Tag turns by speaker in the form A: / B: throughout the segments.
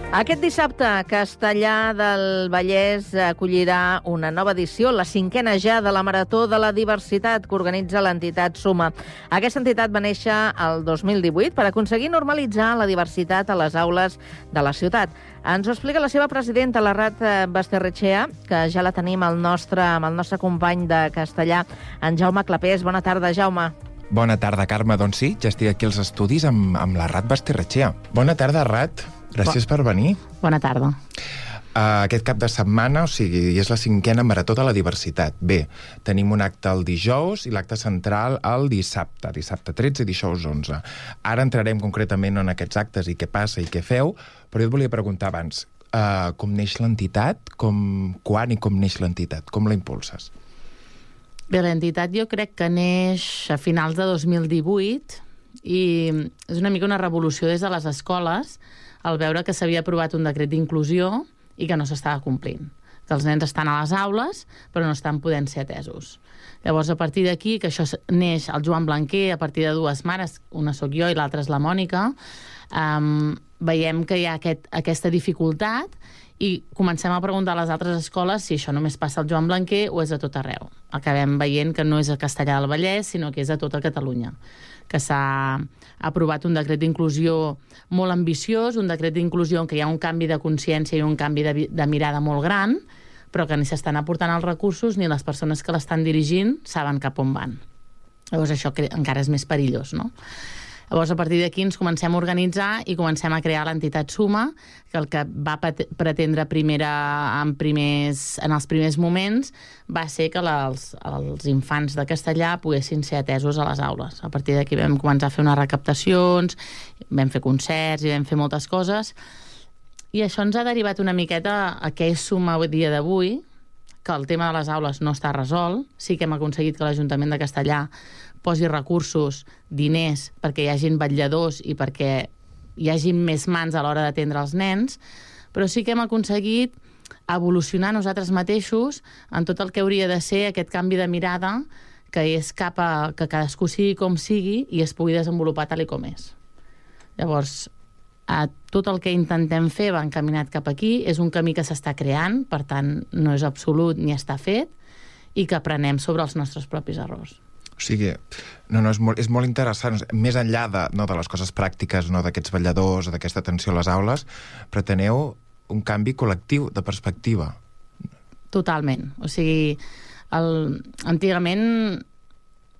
A: Aquest dissabte, Castellar del Vallès acollirà una nova edició, la 5a ja de la Marató de la Diversitat que organitza l'entitat Suma. Aquesta entitat va néixer el 2018 per aconseguir normalitzar la diversitat a les aules de la ciutat. Ens ho explica la seva presidenta, la Rat Basterrechea, que ja la tenim amb el nostre company de Castellar, en Jaume Clapés. Bona tarda, Jaume.
B: Bona tarda, Carme. Doncs sí, ja estic aquí als estudis amb la Rat Basterrechea. Bona tarda, Rat. Gràcies per venir.
C: Bona tarda.
B: Aquest cap de setmana, o sigui, és la 5a Marató de la Diversitat. Bé, tenim un acte el dijous i l'acte central el dissabte 13 i dijous 11. Ara entrarem concretament en aquests actes i què passa i què feu, però jo et volia preguntar abans, com neix l'entitat, quan i com neix l'entitat, com la impulses?
C: Bé, l'entitat jo crec que neix a finals de 2018 i és una mica una revolució des de les escoles al veure que s'havia aprovat un decret d'inclusió i que no s'estava complint. Que els nens estan a les aules però no estan podent ser atesos. Llavors, a partir d'aquí, que això neix el Joan Blanquer, a partir de dues mares, una sóc jo i l'altra és la Mònica, veiem que hi ha aquesta dificultat i comencem a preguntar a les altres escoles si això només passa al Joan Blanquer o és a tot arreu. Acabem veient que no és a Castellar del Vallès, sinó que és a tota Catalunya, que s'ha aprovat un decret d'inclusió molt ambiciós, un decret d'inclusió en què hi ha un canvi de consciència i un canvi de mirada molt gran, però que ni s'estan aportant els recursos ni les persones que l'estan dirigint saben cap on van. Llavors això encara és més perillós, no? Llavors, a partir d'aquí ens comencem a organitzar i comencem a crear l'entitat Suma, que el que va pretendre en els primers moments va ser que els infants de Castellar poguessin ser atesos a les aules. A partir d'aquí vam començar a fer unes recaptacions, vam fer concerts i vam fer moltes coses, i això ens ha derivat una miqueta a què és Suma a dia d'avui, que el tema de les aules no està resolt. Sí que hem aconseguit que l'Ajuntament de Castellar posi recursos, diners, perquè hi hagin vetlladors i perquè hi hagin més mans a l'hora d'atendre els nens, però sí que hem aconseguit evolucionar nosaltres mateixos en tot el que hauria de ser aquest canvi de mirada, que és cap a que cadascú sigui com sigui i es pugui desenvolupar tal i com és. Llavors, tot el que intentem fer va encaminat cap aquí, és un camí que s'està creant, per tant, no és absolut ni està fet, i que aprenem sobre els nostres propis errors.
B: O sigui, és molt interessant. Més enllà de les coses pràctiques, d'aquests vetlladors o d'aquesta atenció a les aules, preteneu un canvi col·lectiu de perspectiva.
C: Totalment. O sigui, antigament,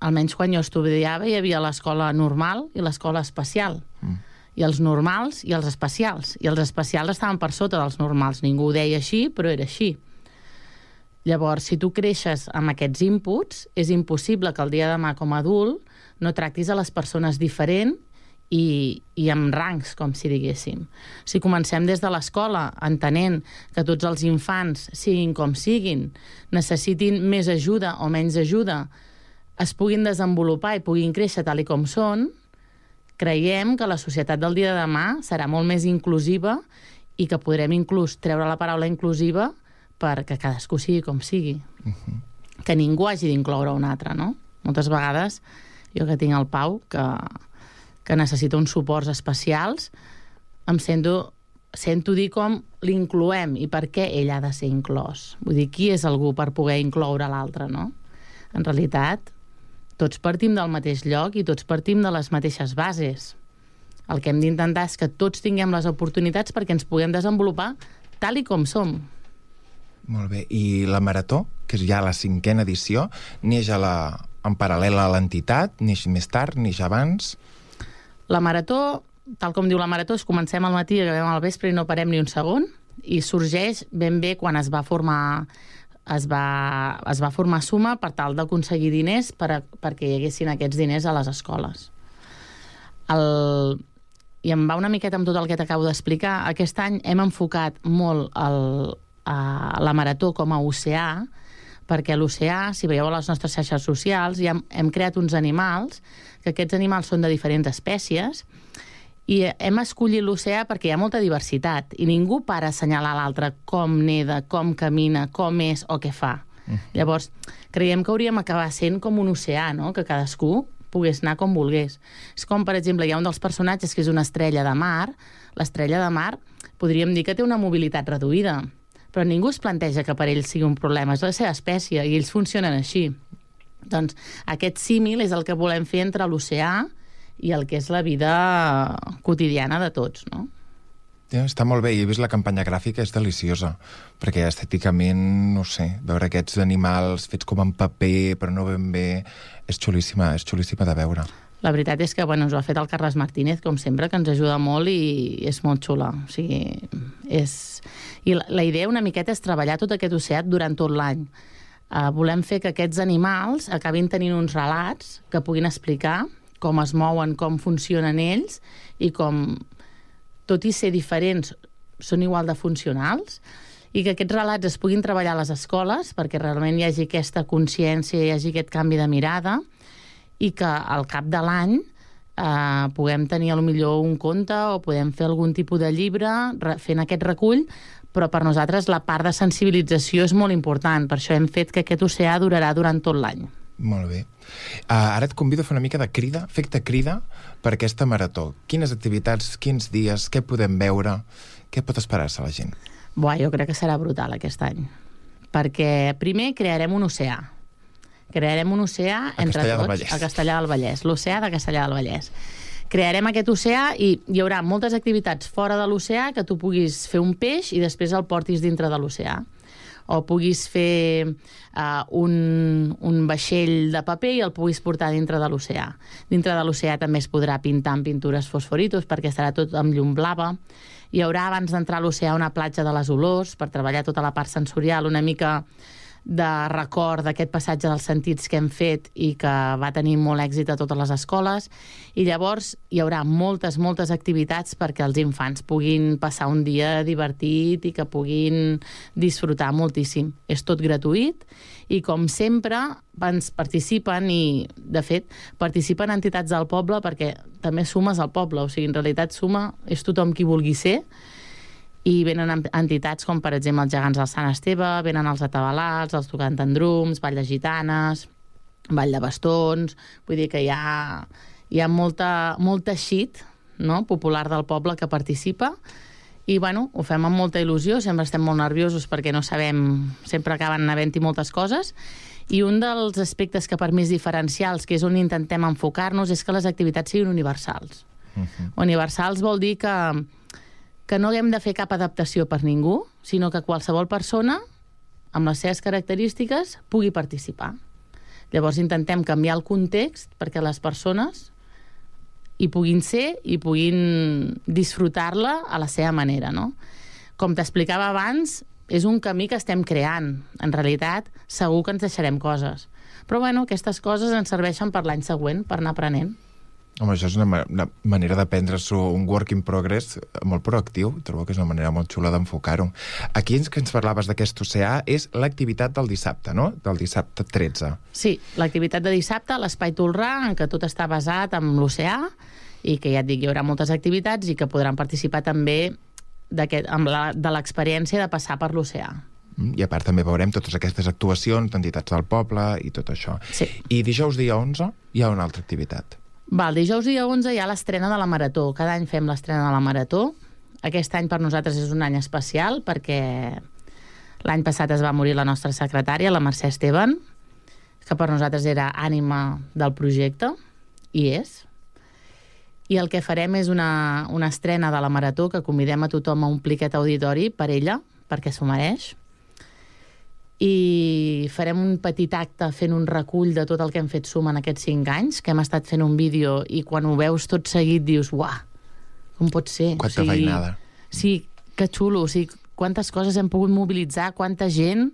C: almenys quan jo estudiava, hi havia l'escola normal i l'escola especial. I els normals i els especials. I els especials estaven per sota dels normals. Ningú ho deia així, però era així. Llavors, si tu creixes amb aquests inputs, és impossible que el dia de demà com a adult no tractis a les persones diferent i amb rangs, com si diguéssim. Si comencem des de l'escola entenent que tots els infants, siguin com siguin, necessitin més ajuda o menys ajuda, es puguin desenvolupar i puguin créixer tal i com són, creiem que la societat del dia de demà serà molt més inclusiva i que podrem inclús treure la paraula inclusiva perquè cadascú sigui com sigui. Que ningú hagi d'incloure un altre, no? Moltes vegades, jo que tinc el Pau, que necessita uns suports especials, em sento dir com l'incloem i per què ell ha de ser inclòs. Vull dir, qui és algú per poder incloure l'altre, no? En realitat, tots partim del mateix lloc i tots partim de les mateixes bases. El que hem d'intentar és que tots tinguem les oportunitats perquè ens puguem desenvolupar tal i com som.
B: Molt bé. I la Marató, que és ja la 5a edició, neix en paral·lel a l'entitat, neix més tard, neix abans?
C: La Marató, tal com diu la Marató, és comencem al matí i acabem al vespre i no parem ni un segon, i sorgeix ben bé quan es va formar Suma per tal d'aconseguir diners perquè hi haguessin aquests diners a les escoles. I em va una miqueta amb tot el que t'acabo d'explicar. Aquest any hem enfocat molt la Marató com a oceà, perquè a l'oceà, si veieu a les nostres xarxes socials, ja hem creat uns animals, que aquests animals són de diferents espècies, i hem escollit l'oceà perquè hi ha molta diversitat, i ningú para a assenyalar l'altre com neda, com camina, com és o què fa. Llavors, creiem que hauríem acabar sent com un oceà, no? Que cadascú pogués anar com volgués. És com, per exemple, hi ha un dels personatges que és una estrella de mar. L'estrella de mar podríem dir que té una mobilitat reduïda, però ningú es planteja que per ell sigui un problema. És la seva espècie i ells funcionen així. Doncs aquest símil és el que volem fer entre l'oceà i el que és la vida quotidiana de tots, no?
B: Ja, està molt bé, i he vist la campanya gràfica, és deliciosa, perquè estèticament, no sé, veure aquests animals fets com en paper, però no ben bé, és xulíssima de veure.
C: La veritat és que ens ho ha fet el Carles Martínez, com sempre, que ens ajuda molt i és molt xula. O sigui, I la idea una miqueta és treballar tot aquest oceà durant tot l'any. Volem fer que aquests animals acabin tenint uns relats que puguin explicar com es mouen, com funcionen ells i com, tot i ser diferents, són igual de funcionals, i que aquests relats es puguin treballar a les escoles perquè realment hi hagi aquesta consciència, hi hagi aquest canvi de mirada, i que al cap de l'any puguem tenir millor un conte o podem fer algun tipus de llibre fent aquest recull, però per nosaltres la part de sensibilització és molt important. Per això hem fet que aquest oceà durarà durant tot l'any.
B: Molt bé. Ara et convido a fer una mica de crida, efecte crida, per aquesta marató. Quines activitats, quins dies, què podem veure, què pot esperar-se la gent?
C: Jo crec que serà brutal aquest any, perquè primer crearem un oceà. Crearem un oceà entre tots a Castellar del Vallès, l'oceà de Castellar del Vallès. Crearem aquest oceà i hi haurà moltes activitats fora de l'oceà que tu puguis fer un peix i després el portis dintre de l'oceà. O puguis fer un vaixell de paper i el puguis portar dintre de l'oceà. Dintre de l'oceà també es podrà pintar amb pintures fosforitos perquè estarà tot amb llum blava. Hi haurà, abans d'entrar a l'oceà, una platja de les olors per treballar tota la part sensorial, una mica de record d'aquest passatge dels sentits que hem fet i que va tenir molt èxit a totes les escoles. I llavors hi haurà moltes activitats perquè els infants puguin passar un dia divertit i que puguin disfrutar moltíssim. És tot gratuït i, com sempre, ens participen i, de fet, participen entitats del poble perquè també sumes al poble. O sigui, en realitat suma és tothom qui vulgui ser. I venen entitats com, per exemple, els Gegants del Sant Esteve, venen els Atabalats, els Tocant en Drums, Vall de Gitanes, Vall de Bastons. Vull dir que hi ha molta xic, no?, popular del poble que participa. I, ho fem amb molta il·lusió, sempre estem molt nerviosos perquè no sabem, sempre acaben havent-hi moltes coses. I un dels aspectes que per mi és diferencials, que és on intentem enfocar-nos, és que les activitats siguin universals. Universals vol dir que no haguem de fer cap adaptació per ningú, sinó que qualsevol persona, amb les seves característiques, pugui participar. Llavors intentem canviar el context perquè les persones hi puguin ser i puguin disfrutar-la a la seva manera, no? Com t'explicava abans, és un camí que estem creant. En realitat, segur que ens deixarem coses. Però, aquestes coses ens serveixen per l'any següent, per anar aprenent.
B: Home, això és una manera de prendre-s'ho un work in progress molt proactiu. Trobo que és una manera molt xula d'enfocar-ho. Aquí que ens parlaves d'aquest oceà és l'activitat del dissabte, no? Del dissabte 13.
C: Sí, l'activitat de dissabte a l'Espai Tolrà, en què tot està basat en l'oceà i que, ja et dic, hi haurà moltes activitats i que podran participar també de l'experiència de passar per l'oceà.
B: I a part també veurem totes aquestes actuacions d'entitats del poble i tot això.
C: Sí.
B: I dijous dia 11 hi ha una altra activitat.
C: El dijous dia 11 hi ha l'estrena de la Marató. Cada any fem l'estrena de la Marató. Aquest any per nosaltres és un any especial perquè l'any passat es va morir la nostra secretària, la Mercè Esteban, que per nosaltres era ànima del projecte, i és. I el que farem és una estrena de la Marató que convidem a tothom a omplir aquest auditori per ella, perquè s'ho mereix. I farem un petit acte fent un recull de tot el que hem fet suma en aquests 5 anys, que hem estat fent un vídeo i quan ho veus tot seguit dius, uah, com pot ser?
B: Quanta feinada.
C: Sí, que xulo, o sigui, quantes coses hem pogut mobilitzar, quanta gent,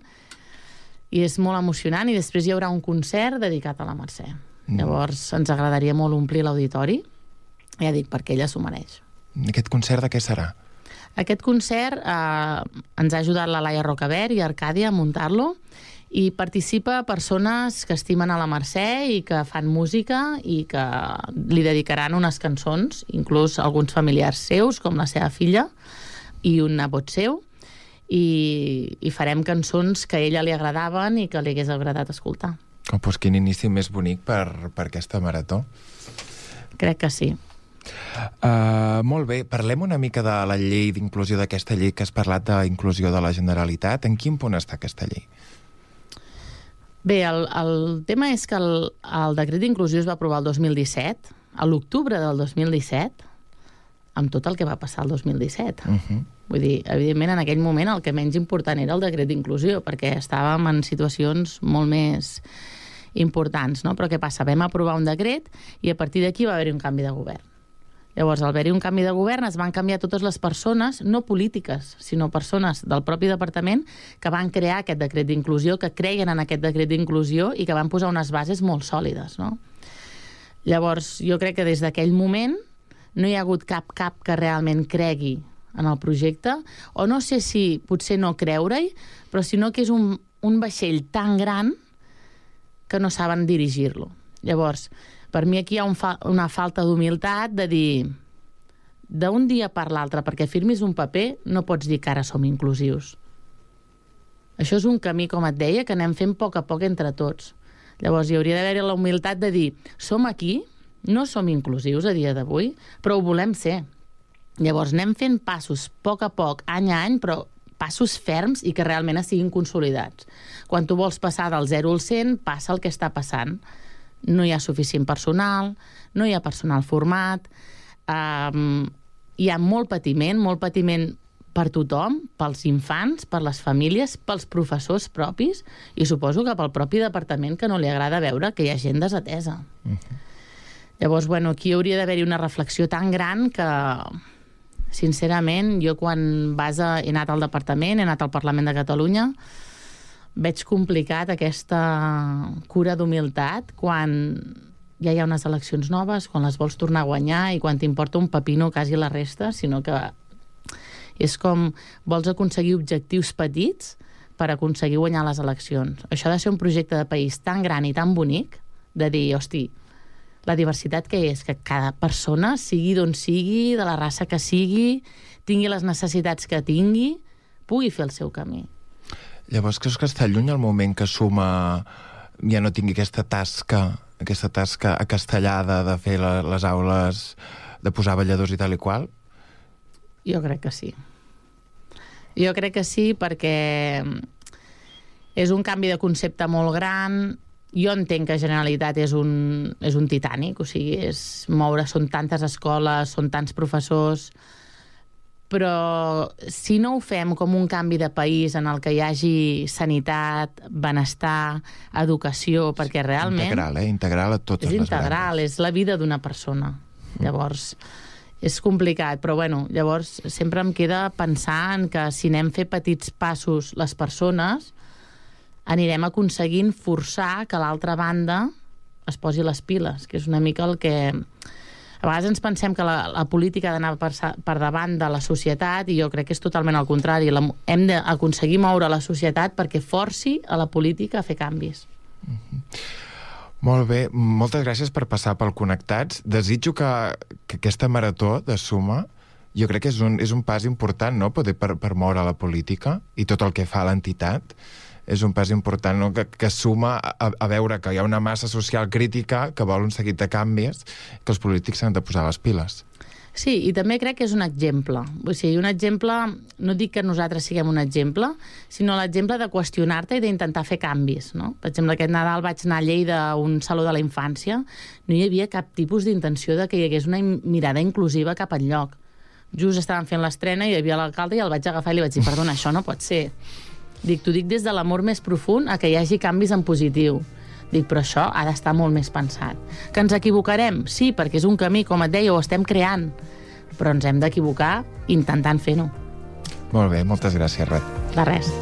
C: i és molt emocionant, i després hi haurà un concert dedicat a la Mercè. Llavors ens agradaria molt omplir l'auditori, ja dic, perquè ella s'ho mereix.
B: Aquest concert de què serà?
C: Aquest concert ens ha ajudat la Laia Rocabert i Arcàdia a muntar-lo i participa persones que estimen a la Mercè i que fan música i que li dedicaran unes cançons, inclús alguns familiars seus, com la seva filla i un nebot seu, i farem cançons que a ella li agradaven i que li hagués agradat escoltar.
B: Oh, doncs quin inici més bonic per aquesta marató.
C: Crec que sí.
B: Molt bé, parlem una mica de la llei d'inclusió, d'aquesta llei que has parlat d'inclusió de la Generalitat. En quin punt està aquesta llei?
C: Bé, el tema és que el decret d'inclusió es va aprovar el 2017, a l'octubre del 2017, amb tot el que va passar el 2017. Vull dir, evidentment, en aquell moment el que menys important era el decret d'inclusió, perquè estàvem en situacions molt més importants, no? Però què passa? Vam aprovar un decret i a partir d'aquí va haver-hi un canvi de govern. Llavors, al haver-hi un canvi de govern, es van canviar totes les persones, no polítiques, sinó persones del propi departament que van crear aquest decret d'inclusió, que creien en aquest decret d'inclusió i que van posar unes bases molt sòlides, no? Llavors, jo crec que des d'aquell moment no hi ha hagut cap que realment cregui en el projecte, o no sé si potser no creure-hi, però sinó que és un vaixell tan gran que no saben dirigir-lo. Llavors, per mi aquí hi ha una falta d'humilitat de dir, d'un dia per l'altre, perquè firmis un paper, no pots dir que ara som inclusius. Això és un camí, com et deia, que anem fent a poc entre tots. Llavors, hi hauria d'haver la humilitat de dir, som aquí, no som inclusius a dia d'avui, però ho volem ser. Llavors, anem fent passos a poc, any a any, però passos ferms i que realment siguin consolidats. Quan tu vols passar del 0 al 100, passa el que està passant. No hi ha suficient personal, no hi ha personal format, hi ha molt patiment per tothom, pels infants, per les famílies, pels professors propis i suposo que pel propi departament que no li agrada veure que hi ha gent desatesa. Llavors, bueno, aquí hauria d'haver-hi una reflexió tan gran que, sincerament, jo quan he anat al departament, he anat al Parlament de Catalunya, veig complicat aquesta cura d'humilitat quan ja hi ha unes eleccions noves, quan les vols tornar a guanyar i quan t'importa un pepino quasi la resta, sinó que és com vols aconseguir objectius petits per aconseguir guanyar les eleccions. Això ha de ser un projecte de país tan gran i tan bonic de dir, hosti, la diversitat que és, que cada persona, sigui d'on sigui, de la raça que sigui, tingui les necessitats que tingui, pugui fer el seu camí.
B: Llavors, creus que està lluny el moment que Suma ja no tingui aquesta tasca acastellada de fer les aules, de posar balladors i tal i qual?
C: Jo crec que sí. Jo crec que sí perquè és un canvi de concepte molt gran. Jo entenc que Generalitat és un Titanic, o sigui, són tantes escoles, són tants professors, però si no ho fem com un canvi de país en el que hi hagi sanitat, benestar, educació, perquè realment...
B: Integral a totes les
C: integral, és la vida d'una persona. Llavors, és complicat, però bueno, llavors sempre em queda pensar en que si anem a fer petits passos les persones, anirem aconseguint forçar que l'altra banda es posi les piles, que és una mica el que... A vegades ens pensem que la política ha d'anar per davant de la societat i jo crec que és totalment al contrari. Hem d'aconseguir moure la societat perquè forci a la política a fer canvis.
B: Molt bé, moltes gràcies per passar pel Connectats. Desitjo que aquesta marató de Suma, jo crec que és un pas important, no?, poder per moure la política i tot el que fa l'entitat. És un pas important, no?, que suma a veure que hi ha una massa social crítica que vol un seguit de canvis, que els polítics s'han de posar les piles.
C: Sí, i també crec que és un exemple. O sigui, un exemple, no dic que nosaltres siguem un exemple, sinó l'exemple de qüestionar-te i d'intentar fer canvis, no? Per exemple, aquest Nadal vaig anar a Lleida a un saló de la infància, no hi havia cap tipus d'intenció de que hi hagués una mirada inclusiva cap enlloc. Just estaven fent l'estrena i hi havia l'alcalde i el vaig agafar i li vaig dir, perdona, això no pot ser. T'ho dic des de l'amor més profund a que hi hagi canvis en positiu. Dic, però això ha d'estar molt més pensat. Que ens equivocarem? Sí, perquè és un camí, com et deia, ho estem creant. Però ens hem d'equivocar intentant fer-ho.
B: Molt bé, moltes gràcies, Rat.
C: De res.